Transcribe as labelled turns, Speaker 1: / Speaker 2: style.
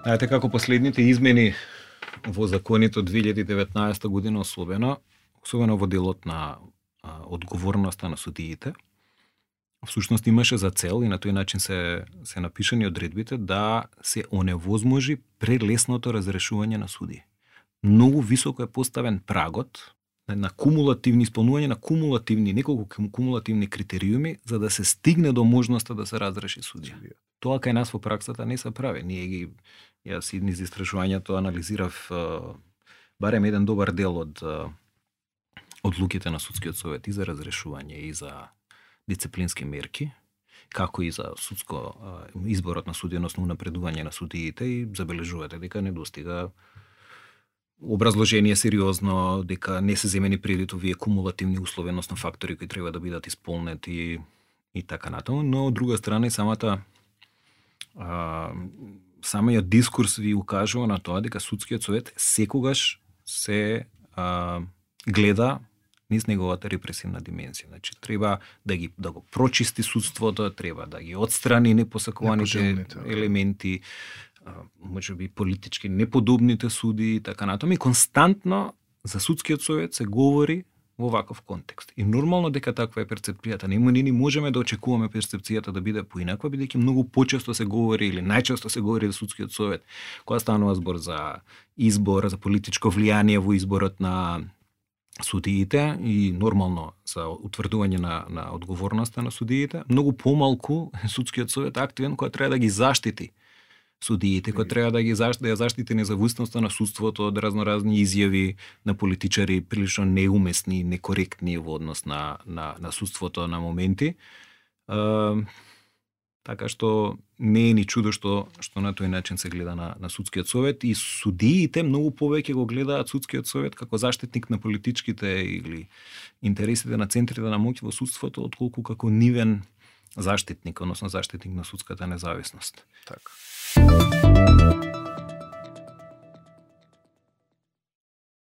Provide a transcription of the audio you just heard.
Speaker 1: Знаете како последните измени во законите од 2019 година особено во делот на одговорноста на судиите, всушност имаше за цел и на тој начин се напишани одредбите да се оневозможи прелесното разрешување на суди. Многу високо е поставен прагот на кумулативни исполнување на неколку кумулативни критериуми за да се стигне до можноста да се разреши судија. Тоа кај нас во праксата не се прави. Јас низ истражувањето анализирав барем еден добар дел од одлуките на судскиот совет и за разрешување и за дисциплински мерки, како и за изборот на судија, односно унапредување на судиите, и забележувате дека не достига образложение сериозно, дека не се земени предвид овие кумулативни услови, односно фактори кои треба да бидат исполнети и така натаму, но од друга страна самиот дискурс ви укажува на тоа дека судскиот совет секогаш се гледа низ неговата репресивна димензија. Значи, треба да го прочисти судството, треба да ги отстрани непосакуваните елементи, можеби политички неподобните суди и така натаму. И константно за судскиот совет се говори во ваков контекст. И нормално дека таква е перцепцијата. Не можеме да очекуваме перцепцијата да биде поинаква, бидејќи многу почесто се говори или најчесто се говори за судскиот совет кога станува збор за избор, за политичко влијание во изборот на судиите и нормално за утврдување на одговорноста на судиите. Многу помалку судскиот совет активен кога треба да ги заштити судиите, кои треба да ја заштити независноста на судството од разноразни изјави на политичари прилично неумесни, некоректни во однос на судството на моменти. Така што не е ни чудо што на тој начин се гледа на судскиот совет, и судиите многу повеќе го гледаат судскиот совет како заштитник на политичките или интересите на центрите на моќ во судството, отколку како нивен заштитник, односно заштитник на судската независност.
Speaker 2: Така.